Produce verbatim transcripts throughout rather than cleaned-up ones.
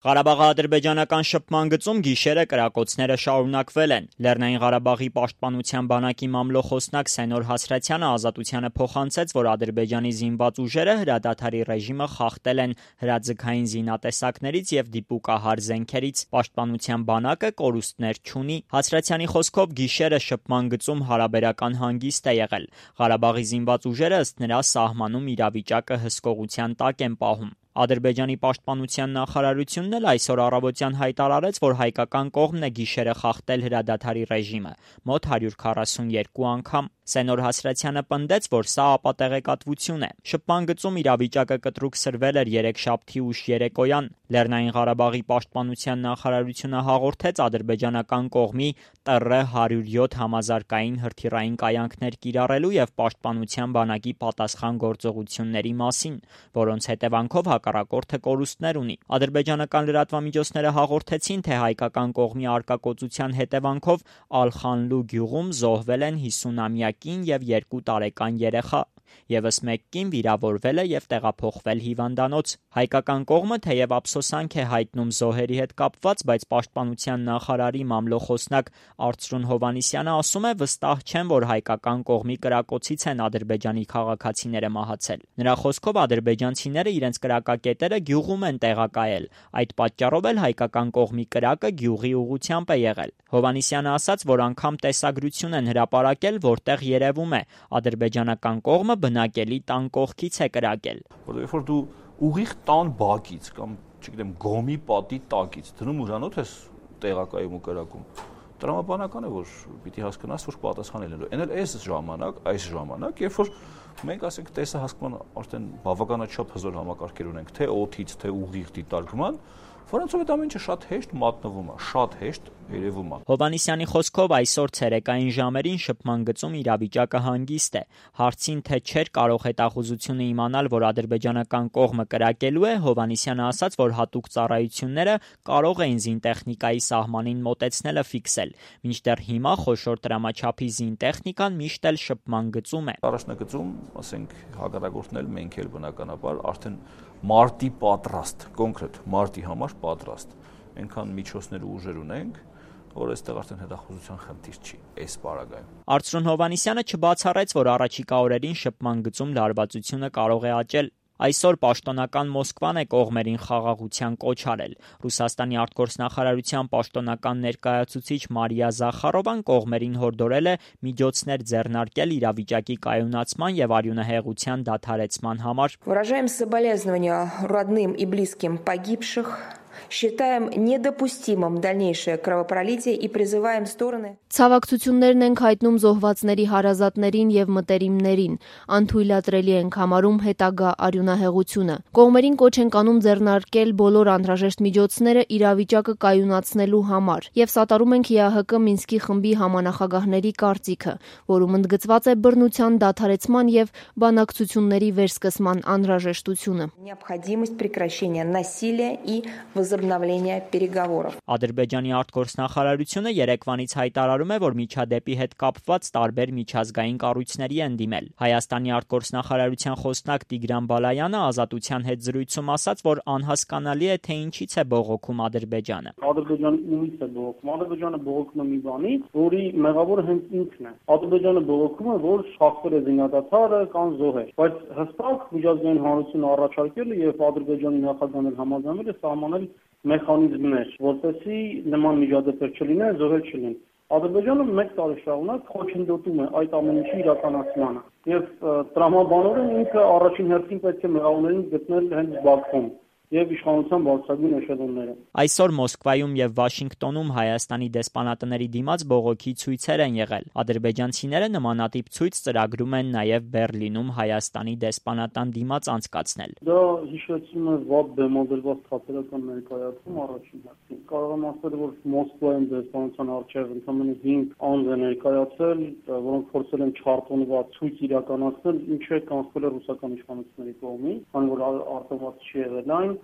Ղարաբաղի ադրբեջանական շփման գծում գիշերը կրակոցները շարունակվել են։ Լեռնային Ղարաբաղի պաշտպանության բանակի մամլոխոսնակ Սենոր Հասրաթյանը Ազատությանը փոխանցեց, որ Ադրբեջանի զինված ուժերը հրադադարի ռեժիմը խախտել են հրաձգային զինատեսակներից եւ դիպուկահար զենքերից։ Պաշտպանության բանակը կորուստներ չունի։ Հասրաթյանի խոսքով գիշերը շփման գծում հարաբերական հանգիստ է եղել։ Ղարաբաղի զինված ուժերը ըստ նրա սահմանում իրավիճակը հսկողության տակ են պահում։ Ադրբեջանի պաշտպանության նախարարությունն էլ այսօր առավոտյան հայտարարեց, որ հայկական կողմն է գիշերը խախտել հրադադարի ռեժիմը մոտ հարյուր քառասունեքու անգամ։ Սենոր Հասրաթյանը պնդեց, որ սա ապատեղեկատվություն է։ Շփման գծում իրավիճակը կտրուկ սրվել էր երեքշաբթի ուշ երեկոյան։ Լեռնային Ղարաբաղի պաշտպանության նախարարությունը հաղորդեց ադրբեջանական կողմի Տ Ռ հարյուր յոթ համազարգային հրթիռային կայանքներ կիրառելու եւ պաշտպանության բանակի պատասխան գործողությունների մասին, որոնց հետևանքով հակառակորդը կորուստներ ունի։ Ադրբեջանական լրատվամիջոցները հաղորդեցին, թե հայկական կողմի արկակոծության հետևանքով Ալ-Խանլու գյուղում զոհվել են հիսունամյա կին եւ երկու տարեկան երեխա։ Եվս մեկ կին վիրավորվել է եւ տեղափոխվել հիվանդանոց։ Հայկական կողմը թեև ափսոսանք է հայտնում զոհերի հետ կապված, բայց պաշտպանության նախարարի մամլոխոսնակ Արծրուն Հովհաննիսյանը ասում է, վստահ չեն, որ հայկական կողմի կրակոցից են ադրբեջանի քաղաքացիները մահացել։ Նրա խոսքով ադրբեջանցիները իրենց կրակակետերը գյուղում են տեղակայել։ Այդ պատճառով էլ հայկական կողմի կրակը գյուղի ուղղությամբ է եղել։ Հովհաննիսյանը ասաց, որ անգամ տեսագրություն են հրապարակել, որտեղ երևում է ադրբեջանական կողմը բնակելի տան կողքից է կրակել։ Որովհետև որ դու ուղիղ տան բակից կամ, չգիտեմ, գոմի պատի տակից դնում ուրանոց ես տեղակայում ու կրակում, տրամաբանական է, որ պիտի հասկանաս, որ պատասխանել են։ Էն էլ այս ժամանակ, այս ժամանակ, երբ որ մենք ասենք տեսահասկման արդեն բավականաչափ հզոր համակարգեր ունենք, թե օդից, թե ուղիղ դիտարկման, որոնցով այդ ամեն ինչը շատ հեշտ մատնվում է, շատ հեշտ երևում է։ Հովհաննիսյանի խոսքով այսօր ցերեկային ժամերին շփման գծում իրավիճակը հանգիստ է։ Հարցին, թե չէր կարող հետախուզությունը իմանալ, որ ադրբեջանական կողմը կրակելու է, Հովհաննիսյանը ասաց, որ հատուկ ծառայությունները կարող էին զինտեխնիկայի սահմանին մոտեցնելը ֆիքսել։ Մինչդեռ հիմա խոշոր տրամաչափի զինտեխնիկան միշտ էլ շփման գծում է։ Առաջնագծում, ասենք, հակառակորդն էլ մենք էլ բնականաբար արդեն մարտի պատրաստ, կոնկրետ մարտի համար պատրաստ։ Այնքան միջոցներ ու ուժեր ունենք, որ այստեղ արդեն հետախուզության խնդիր չի այս պարագայում։ Արծրուն Հովհաննիսյանը չբացառեց, որ առաջիկա օրերին շփման գծում լարվածությունը կարող է աճել։ Այսօր պաշտոնական Մոսկվան է կողմերին խաղաղության կոչ արել։ Ռուսաստանի արտգործնախարարության պաշտոնական ներկայացուցիչ Մարիա Զախարովան կողմերին հորդորել է միջոցներ ձեռնարկել իրավիճակի կայունացման եւ արյունահեղության դադարեցման համար։ Выражаем соболезнования родным и близким погибших. Считаем недопустимым дальнейшее кровопролитие и призываем стороны. Ցավակցություններն ենք հայտնում զոհվածների հարազատներին եւ մտերիմներին, անթույլատրելի ենք համարում հետագա արյունահեղությունը։ Կողմերին կոչ ենք անում ձեռնարկել բոլոր անհրաժեշտ միջոցները իրավիճակը կայունացնելու համար եւ սատարում ենք Է Ա Հ Կ Մինսկի խմբի համանախագահների կարծիքը, որում ընդգծված է բռնության դադարեցման եւ բանակցությունների վերսկսման անհրաժեշտությունը։ Необходимость прекращения насилия и возобновления переговоров. Ադրբեջանի արտգործնախարարությունը երեկվանից հայտարարում է, որ միջադեպի հետ կապված տարբեր միջազգային կառույցների են դիմել։ Հայաստանի արտգործնախարարության խոսնակ Տիգրան Բալայանը Ազատության հետ զրույցում ասաց, որ անհասկանալի է, թե ինչից է բողոքում Ադրբեջանը։ Ադրբեջանը ումից է բողոքում։ Ադրբեջանը բողոքում է մի բանից, որի մեղավորը հենց ինքն է։ Ադրբեջանը բողոքում է, որ շախվել է զինադադարը կամ զոհեր, բայց հստակ միջազգային հանրությունը առաջարկել է եւ Ադրբեջանի նախագահն համաձայնել է սահմանել մեխանիզմներ, որպեսզի նման միջադեպեր չլինեն, զոհեր չլինեն։ Ադրբեջանը մեկ տարի շարունակ խոչընդոտում է այդ ամեն ինչի իրականացմանը եւ տրամաբանորեն ինքը առաջին հերթին պետք է մեղավորներին գտնել հենց Բաքվում եւ իշխանության բարձրագույն էշելոնները։ Այսօր Մոսկվայում եւ Վաշինգտոնում Հայաստանի դեսպանատների դիմաց բողոքի ցույցեր են եղել։ Ադրբեջանցիները նմանատիպ ցույց ծրագրում են նաեւ Բեռլինում Հայաստանի դեսպանատան դիմաց անցկացնել։ Դա հիշեցնում է վատ բեմադրված թատերական ներկայացում առաջին հերթին։ Կարող եմ ասել, որ Մոսկվայում դեսպանության առջև ընդամենը հինգ անձ է ներկայացել, որոնք փորձել են չարտոնված ցույց իրականացնել, ինչը կանխվել է ռուսական իշխանությունների կողմից, քանի որ արտոնված չի եղել այն։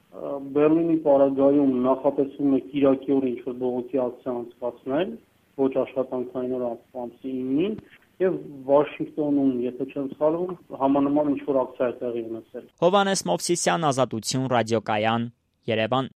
Բեռլինի պարագայում նախատեսվում է Կիրակի օրը ինչ-որ բողոքի ակցիա անցկացնել, ոչ աշխատանքային օր ամսի ինին, եւ Վաշինգտոնում, եթե չեմ սխալվում, համանման ինչ-որ ակցիա է տեղի ունեցել։ Հովհաննես Մովսիսյան, Ազատություն ռադիոկայան, Երևան։